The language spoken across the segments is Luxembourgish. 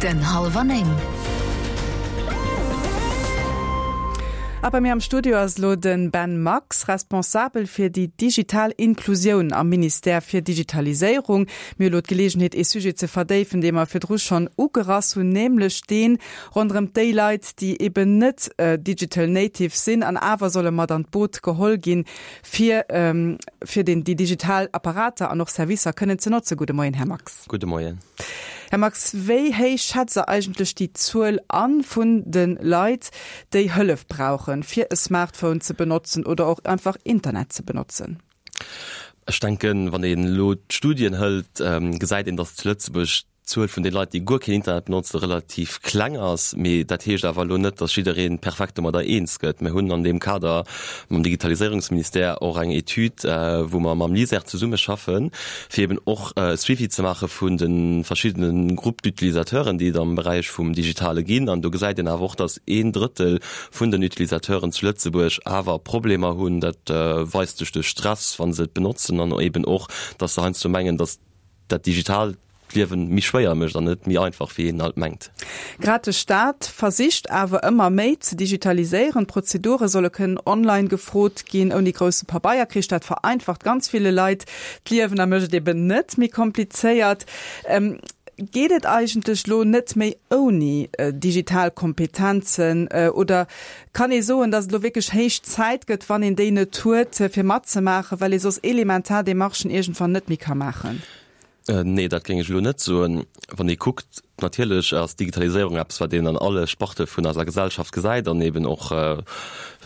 Den Hallwer 9. A bei mir am Studio ass elo de Ben Max, Responsabel fir déi digital Inklusioun am Ministère fir Digitaliséierung. Mir hu elo d'Geleegenheet, ee Sujet ze verdéifen, dee mer virdru schonn ugerass hunn, nämlech deen ronderëm déi Leit, déi eben net digital natives sinn an awer solle mat an d'Boot geholl ginn, fir fir den déi digital Apparater an och Servicer kënnen ze notzen. Gudde Moien, Här Max. Gudde Moien. Här Max, wéi héich schätzt Der eigentlech déi Zuel an vun de Leit, déi Hëllef brauchen, fir e Smartphone ze benotzen oder och einfach Internet ze benotzen? Ech denken, wann een elo d'Studien hëlt, gesäit een, datt zu Lëtzebuerg d'Zuel vun de Leit, déi guer keen Internet benotzen, relativ kleng ass. Mee dat heescht awer elo net, datt jidderee perfekt domadder eens gëtt. Mir hunn an deem Kader mam Digitaliséierungsministère och eng Etüd, wou mer mam LISER zesummeschaffen, fir eben och e Suivi ze maache vun de verschiddene Groupes d'utilisateuren, déi et am Beräich vum Digitale ginn. An do gesäit een awer och, datt een Drëttel vun den Utilisateuren zu Lëtzebuerg awer Problemer hunn. Dat weist sech duerch Stress, wa se et benotzen, an eben och, datt se heiansdo mengen, datt dat Digitaalt d'Liewen méi schwéier mécht an net méi einfach, wéi een alt mengt. Grad de Staat versicht awer ëmmer méi ze digitaliséieren. D'Prozedure solle kënnen online gefrot ginn, ouni grousse Pabeierkrich. Dat vereinfacht ganz ville Leit d'Liewen a mécht et eben net méi komplizéiert. Geet et eigentlech lo net méi ouni digital Kompetenzen oder kann ee soen, datt et elo wierklech héich Zäit gëtt, wann een déi net huet, fir matzemaachen, well ee soss elementar Demarchen iergendwann net méi ka maachen? Nee, dat géing ech elo net soen. Wann ee kuckt, natierlech ass d'Digitaliséierung eppes, wat een an alle Sparte vun eiser Gesellschaft gesäit an eben och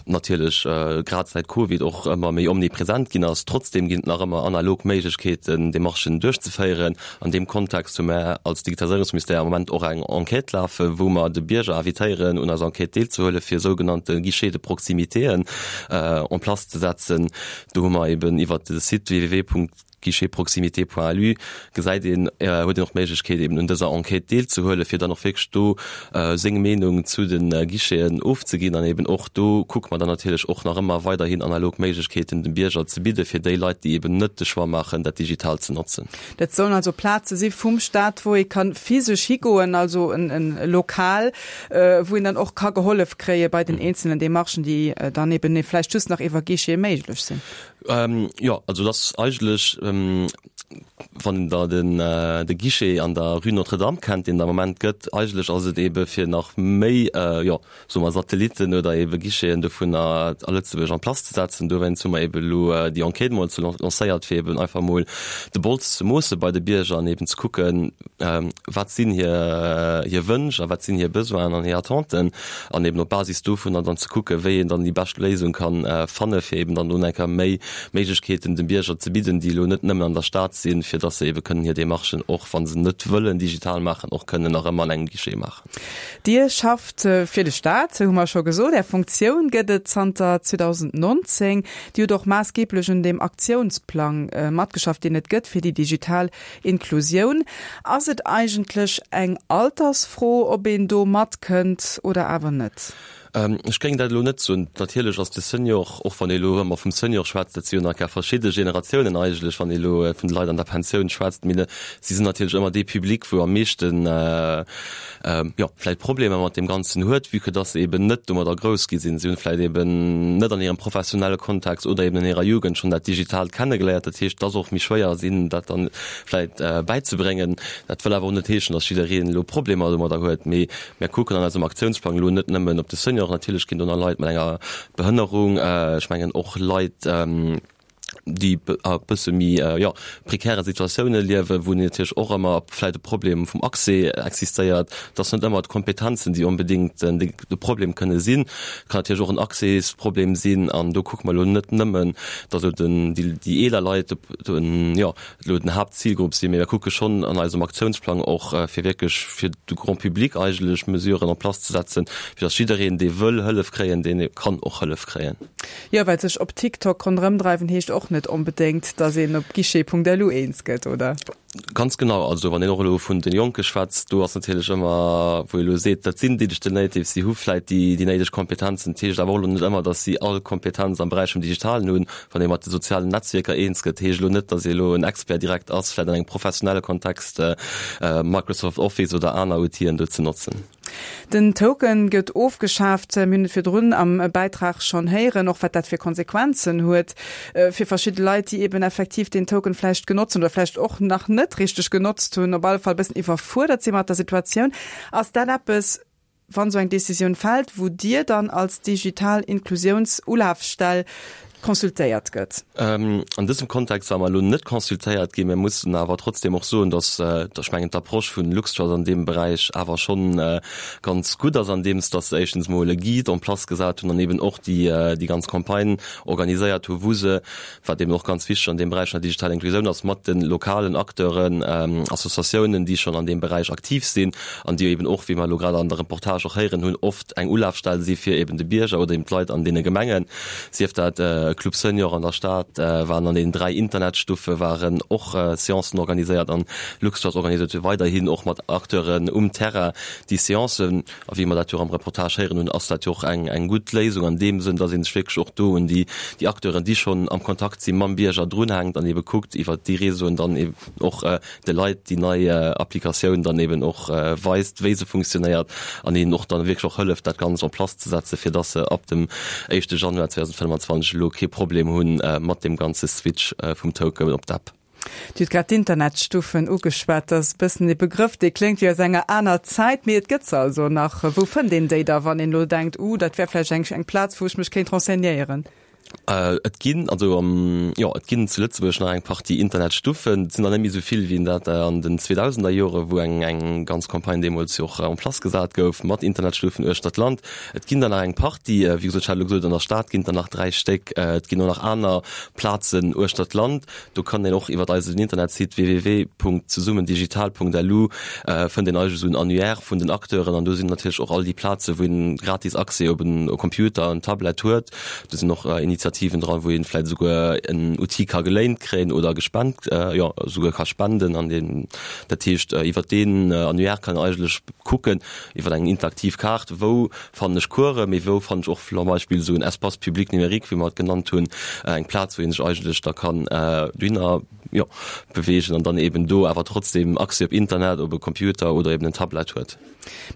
natierlech grad säit Covid och ëmmer méi omnipresent ginn ass. Trotzdeem ginn et nach ëmmer analog Méiglechkeeten, Demarchen duerchzeféieren. An deem Kontext hu mär als Digitaliséierungsministère am Moment och eng Enquête lafen, wou mer de Bierger invitéieren, un eiser Enquête deelzehuelen, fir sougenannte Guichets de proximitéen en place ze setzen. Do hu mer eben iwwert de Site www. Guichetproximité.lu gesäit een, huet een och d'Méiglechkeet eben un dëser Enquête deelzehuelen, fir dann och wierklech do seng Meenung zu de Guicheten ofzeginn. An eben och do kucke mer dann natierlech och nach ëmmer weiderhin analog Méiglechkeeten dem Bierger ze bidde fir déi Leit, déi eben net de Choix maachen, dat digital ze notzen. Dat sollen also Plaze si vum Staat, wou ee ka physesch higoen, also e Lokal, wou een dann och ka gehollef kréie bei den eenzelnen Demarchen, déi dann eben vläicht just nach iwwer Guichete méiglech sinn. Jo, also et ass eigentlech, wann Der den de Guichet an der Rue Notre-Dame kennt, deen et am Moment gëtt, eigentlech ass et eebe fir nach méi, jo, soe mer Satellitten oder eebe Guicheten dovunner a Lëtzebuerg en place ze setzen. Dowéinst hu mer eebe elo déi Enquête mol ze lancéiert, fir eeben einfach mol de Bols ze moosse bei de Bierger an eeben ze kucken, wat sinn hir hir Wënsch a wat sinn hir Besoinen an hir Attenten. An eben op Basis dovunner dann ze kucken, wéi een dann déi bescht Léisung kann fanne fir eben dann do eng Kéier méi Méiglechkeeten dem Bierger ze bidden, déi elo net nëmmen an der Stad sinn, fir dass se ebe kënnen hir Demarchen, och wa se net wëllen digital maachen, och kënnen nach ëmmer an engem Guichet maachen. Dir schafft fir de Staat, hu mer scho gesot. Är Funktioun gëtt et zanter 2019. Dir hutt och maassgeeblech un deem Aktiounsplang matgeschafft, deen et gëtt fir déi digital Inklusioun. Ass et eigentlech eng Altersfro, ob een do matkënnt oder awer net? Ech géing dat elo net soen. Natierlech ass de Senior, och wann ee elo ëmmer vum Senior schwätzt, dat si jo nach gar verschidde Generatiounen eigentlech, wann ee elo vun de Leit an der Pensioun schwätzt, mee si sinn natierlech ëmmer dee Public, wou am meeschten, jo, vläicht Problemer mat deem Ganzen huet, vue que dass se eben net domadder grouss gi sinn. Si hunn vläicht eben net an hirem professionelle Kontext oder eben an hirer Jugend schonn dat Digitaalt kennegeléiert. Dat heescht, et ass och méi schwéier, hinnen dat dann vläicht bäizebréngen. Dat wëll awer och net heeschen, dass jiddereen elo Problemer domadder huet. Mee mir kucken an eisem Aktiounsplang elo net nëmmen op de Senior. Natierlech ginn do nach Leit mat enger Behënnerung, ech mengen och Leit, déi a bësse méi, jo, prekäre Situatioune liewen, wou natierlech och ëmmer vläicht e Problem vum Accès existéiert. Et ass net ëmmer d'Kompetenzen, déi onbedéngt de Problem kënne sinn. Et kann natierlech och en Accèsproblem sinn. An do kucke mer elo net nëmmen, datt elo den, déi, déi eeler Leit den, jo, elo den Haaptzilgrupp sinn, mee mir kucke schonn an eisem Aktiounsplang och, fir wierklech fir de Grand public eigentlech Mesuren en place ze setzen, fir datt jiddereen, dee wëll Hëllef kréien, deen kann och Hëllef kréien. Jo, well sech op TikTok ronderëmdreiwen heescht och net onbedéngt, datt een op guichet.lu eens gëtt, oder? Ganz genau. Also wann een och elo vun de Jonke schwätzt, do ass natierlech ëmmer, wou ee elo seet, dat sinn Digital Natives, si hu vläit déi, déi néideg Kompetenzen. Dat heescht awer och elo net ëmmer, datt si all Kompetenz am Beräich vum Digitalen hunn. Wann ee mat de sozialen Netzwierker eens gëtt, heescht elo net, datt ee elo en Expert direkt ass, vläit an engem professionelle Kontext Microsoft Office oder aner Outile do ze notzen. Den Token gëtt ofgeschaaft. Mir hunn et virdrun am Bäitrag schonn héieren, och wat dat fir Konsequenzen huet fir verschidde Leit, déi eben effektiv deen Token vläicht genotzt hunn oder vläicht och nach net richteg genotzt hunn, op alle Fall e bëssen iwwerfuerdert si mat der Situatioun. Ass dat eppes, wann esou eng Decisioun fält, wou Dir dann als digital Inklusiounsulafstell consultéiert gëtt? An dësem Kontext ware mer elo net consultéiert ginn. Mir mussen awer trotzdem och soen, dass, ech mengen, d'Approche vun LuxTrust an deem Beräich awer schonn ganz gutt ass, andeems dass se éischtens emol e Guide en place gesat hunn an eben och déi, déi ganz Campagne organiséiert hu wou se, wat eben och ganz wichteg an deem Beräich vun der digitaler Inklusioun ass, mat de lokalen Acteuren, Associatiounen, déi schonn an deem Beräich aktiv sinn an déi eben och, wéi mer elo grad an der Reportage och héieren hunn, oft eng Ulafstell si fir eben de Bierger oder eben d'Leit an deene Gemengen. Sief dat Club Senior an der Stad, waren an deenen 3 Internetstuffe waren och Seancen organiséiert an LuxTrust organiséiert jo weiderhin och mat Acteuren um Terrain déi Seancen. A wéi mer dat jo och am Reportage héieren hunn, ass dat jo och eng eng gutt Léisung an deem Sënn, dass ee sech wierklech och do un déi déi Acteuren, déi schonn am Kontakt si mam Bierger, drunhänkt an ebe kuckt iwwert déi Réseauen dann eben och de Leit déi nei Applikatioun dann eben och weist, wéi se funktionéiert an hinnen och dann wierklech och hëlleft, dat Ganzt en place ze setzen, fir dass se ab dem éischte Januar 2025 elo kee Problem hu mat deem ganze Switch vum Token op d'App. Dir hutt grad d'Internetstuffen ugeschwat. Dat ass e bëssen e Begrëff, dee kléngt wéi aus enger aner Zäit, mee et gëtt se also nach. Wou fënnt een déi da, wann een elo denkt, Uh, dat wär vläicht eng eng Plaz, wou ech mech kéint renseignéieren? Et ginn, also am, jo, et ginn zu Lëtzebuerg nach eng Partie Internetstuffen. Et sinn der net méi esou vill wéi dat an den 2000er Jore wou eng eng ganz Campagne deemools jo och en place gesat gouf mat Internetstuffen uechter d'Land. Et ginn der nach eng Partie, wéi gesot, ech hat elo gesot, an der Stad ginn et der nach 3 Stéck. Et ginn och nach aner Plazen uechter d'Land. Do kann een och iwwert eisen Internetsite www.zesummendigital.lu fënnt een eigentlech esou en Annuaire vun den Acteuren an do sinn natierlech och all déi Plaze wou een gratis Accès op en Computer, en Tablet huet. Do sinn och Initiativen dran, wou een vläit esouguer en Outil ka geléint kréien oder gespent, jo esouguer ka spenden an deen, dat heescht iwwert deen Annuaire kann een eigentlech kucken iwwer eng interaktiv Kaart, wou fannen ech Coursen, mee wou fannen ech och zum Beispill esou en Espace public numérique, wéi mer et genannt hunn, eng Plaz, wou ee sech eigentlech da kann dohinner, jo, beweegen an dann eben do awer trotzdem Accès op Internet, op e Computer oder eben en Tablet huet.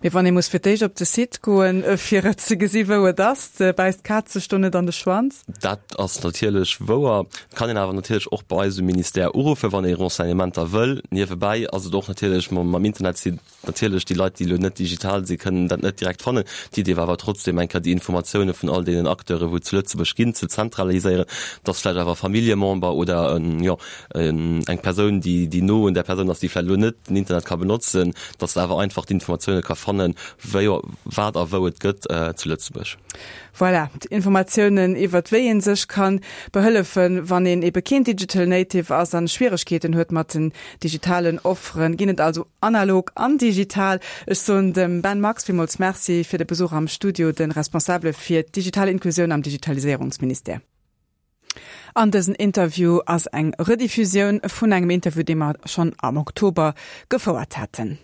Mee wann ee muss fir d'éischt op de Site goen, fir et ze gesi wou et ass, bäisst d'Kaz sech do net an de Schwanz? Dat ass natierlech wouer. Et kann een awer natierlech och bei eis um Ministère uruffen, wann ee Renseignementer wëll. Niewebäi ass et och natierlech mam Internetsite, Natierlech, déi Leit, déi elo net digital sinn, kënnen dat net direkt fannen. D'Idee war awer trotzdem, eng Kéier déi Informatioune vun all deenen Acteuren, wou et zu Lëtzebuerg ginn, ze zentraliséieren, dass vläicht awer e Familljemember oder en, jo, eng Persoun, déi, déi no un där Persoun ass, déi vläicht elo net den Internet ka benotzen, dass se awer einfach d'Informatioune ka fannen, wéi, wat a wou et gëtt zu Lëtzebuerg. Voilà, d'Informatiounen iwwert wéi een sech kann behëllefen, wann een ebe keen Digital Native ass an Schwieregkeeten huet mat den digitalen Offeren, ginn et also analog an digital. Ech soen dem Ben Max villmools Merci fir de Besuch am Studio, de Responsabele fir d'digital Inklusioun am Digitaliséierungsministère. An dësen Interview ass eng Rediffusioun vun engem Interview, dee mer schonn am Oktober gefouert haten.